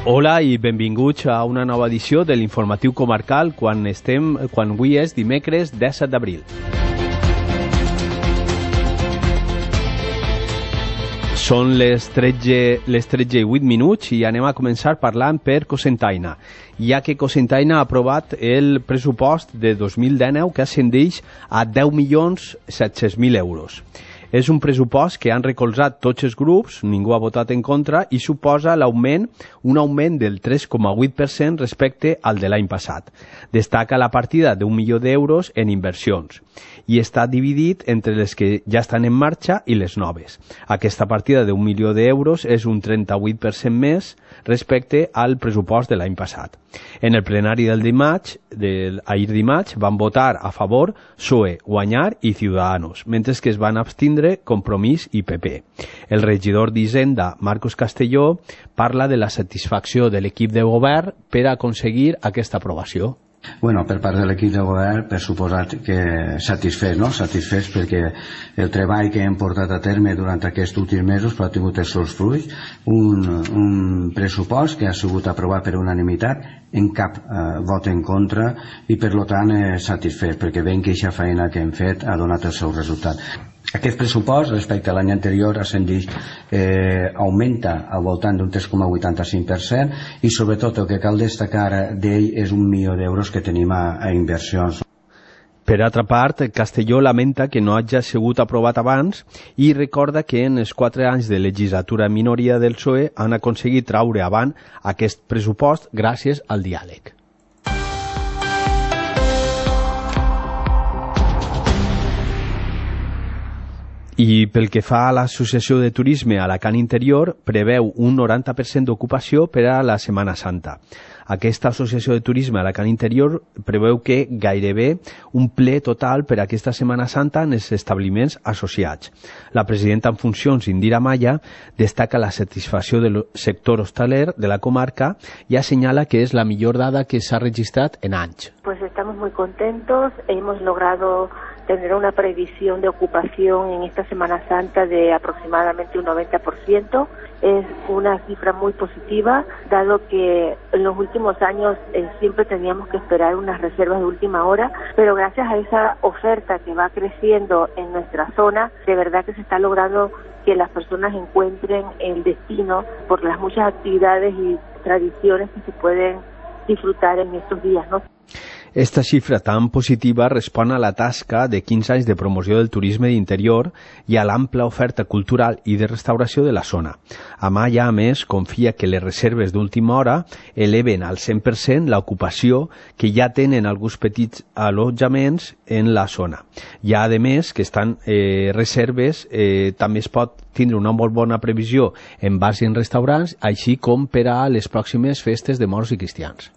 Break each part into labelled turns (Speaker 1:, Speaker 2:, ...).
Speaker 1: Hola i benvinguts a una nova edició de l'Informatiu Comarcal quan avui és dimecres 17 d'abril. Són les 13:08 i anem a començar parlant per Cocentaina, ja que Cocentaina ha aprovat el pressupost de 2019 que ascendeix a 10.700.000 euros. És un pressupost que han recolzat tots els grups, ningú ha votat en contra, i suposa un augment del 3,8% respecte al de l'any passat. Destaca la partida d'1 milió d'euros en inversions i està dividit entre les que ja estan en marxa i les noves. Aquesta partida d'1 milió d'euros és un 38% més respecte al pressupost de l'any passat. En el plenari ahir dimarts van votar a favor PSOE, Guanyar i Ciudadanos, mentre que es van abstindre Compromís i PP. El regidor d'Hisenda, Marcos Castelló, parla de la satisfacció de l'equip de govern per aconseguir aquesta aprovació.
Speaker 2: Bueno, per part de l'equip de govern, per suposat que satisfets perquè el treball que hem portat a terme durant aquests últims mesos ha tingut els seus fruits, un pressupost que ha sigut aprovat per unanimitat, en cap vot en contra i per tant satisfets perquè veiem que aquesta feina que hem fet ha donat el seu resultat. Aquest pressupost respecte a l'any anterior augmenta al voltant d'un 3,85% i sobretot el que cal destacar d'ell és 1 milió d'euros que tenim a inversions.
Speaker 1: Per altra part, Castelló lamenta que no hagi sigut aprovat abans i recorda que en els 4 anys de legislatura en minoria del PSOE han aconseguit traure avant aquest pressupost gràcies al diàleg. I pel que fa a l'Associació de Turisme Alacant Interior, preveu un 90% d'ocupació per a la Setmana Santa. Aquesta Associació de Turisme Alacant Interior preveu que gairebé un ple total per a aquesta Setmana Santa en els establiments associats. La presidenta en funcions, Indira Maya, destaca la satisfacció del sector hostaler de la comarca y assenyala que es la millor dada que s'ha registrat en anys.
Speaker 3: Pues estamos muy contentos, hemos logrado tener una previsión de ocupación en esta Semana Santa de aproximadamente un 90%. Es una cifra muy positiva, dado que en los últimos años siempre teníamos que esperar unas reservas de última hora, pero gracias a esa oferta que va creciendo en nuestra zona, de verdad que se está logrando que las personas encuentren el destino por las muchas actividades y tradiciones que se pueden disfrutar en estos días, ¿no?
Speaker 1: Esta xifra tan positiva respon a la tasca de 15 anys de promoció del turisme d'interior i a l'ampla oferta cultural i de restauració de la zona. Amaya, a més, confia que les reserves d'última hora eleven al 100% l'ocupació que ja tenen alguns petits allotjaments en la zona. Ja, a més, que estan reserves, també es pot tindre una molt bona previsió en bars i en restaurants, així com per a les pròximes festes de morts i cristians.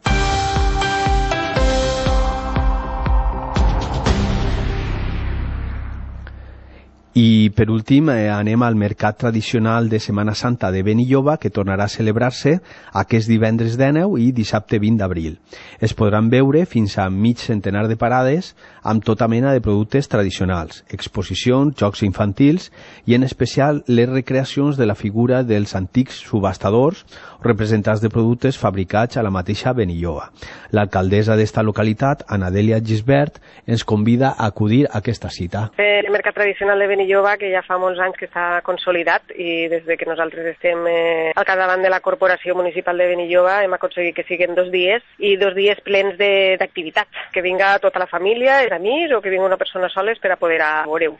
Speaker 1: I per últim anem al mercat tradicional de Setmana Santa de Benilloba, que tornarà a celebrar-se aquest divendres 19 i dissabte 20 d'abril. Es podran veure fins a mig centenar de parades amb tota mena de productes tradicionals, exposicions, jocs infantils i en especial les recreacions de la figura dels antics subhastadors o representants de productes fabricats a la mateixa Benilloba. L'alcaldessa d'esta localitat, Anadèlia Gisbert, ens convida a acudir a aquesta cita.
Speaker 4: El mercat tradicional de Benilloba, que ja fa molts anys que està consolidat i des de que nosaltres estem al capdavant de la Corporació Municipal de Benilloba hem aconseguit que siguin 2 dies i 2 dies plens d'activitats, que vinga tota la família, els amics o que vinga una persona sola per a poder veure-ho.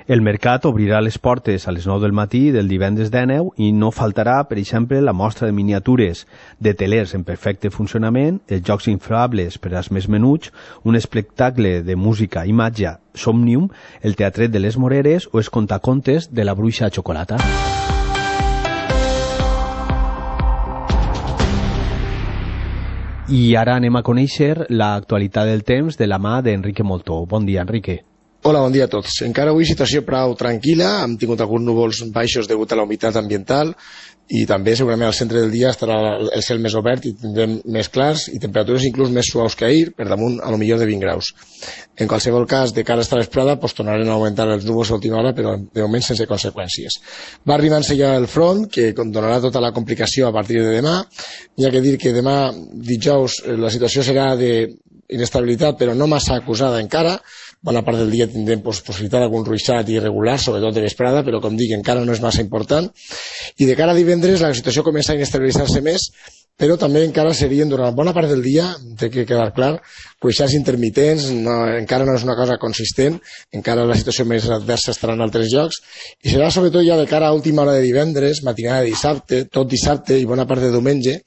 Speaker 1: El mercat obrirà les portes a les 9 del matí del divendres 19 i no faltarà, per exemple, la mostra de miniatures de telers en perfecte funcionament, els jocs inflables per als més menuts, un espectacle de música i màgia Somnium, el teatret de les Moreres o els contacontes de la Bruixa Xocolata. I ara anem a conèixer l'actualitat del temps de la mà d'Enrique Moltó. Bon dia, Enrique.
Speaker 5: Hola, bon dia a tots. Encara avui situació prou tranquil·la, hem tingut alguns núvols baixos degut a la humitat ambiental i també segurament al centre del dia estarà el cel més obert i tindrem més clars i temperatures inclús més suaus que ahir, per damunt a lo millor de 20 graus. En qualsevol cas, de cara a esta vesprada, tornarem a augmentar els núvols a última hora, però de moment sense conseqüències. Va arribant-se ja el front, que donarà tota la complicació a partir de demà. Hi ha que dir que demà, dijous, la situació serà d'inestabilitat, però no massa acusada encara. Bona part del dia tindrem possibilitat d'algun ruixat irregular, sobretot de vesprada, però com dic, encara no és massa important. I de cara a divendres la situació comença a inestabilitzar-se més, però també encara serien durant bona part del dia, té que quedar clar, ruixats intermitents, encara no és una cosa consistent, encara la situació més adversa estarà en altres llocs, i serà sobretot ja de cara a última hora de divendres, matinada de dissabte, tot dissabte i bona part de diumenge,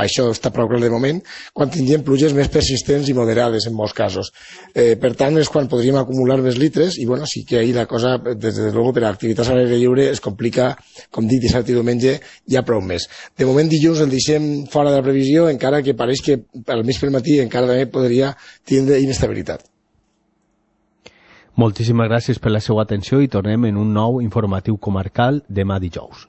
Speaker 5: això està prou clar de moment, quan tindrem pluges més persistents i moderades en molts casos. Per tant, és quan podríem acumular més litres, i bueno, sí que ahir la cosa, des de luego, per a activitats a l'aire lliure es complica, com dic, dissabte i diumenge, ja prou més. De moment, dilluns el deixem fora de la previsió, encara que pareix que al mig pel matí encara també podria tindre inestabilitat.
Speaker 1: Moltíssimes gràcies per la seva atenció i tornem en un nou informatiu comarcal demà dijous.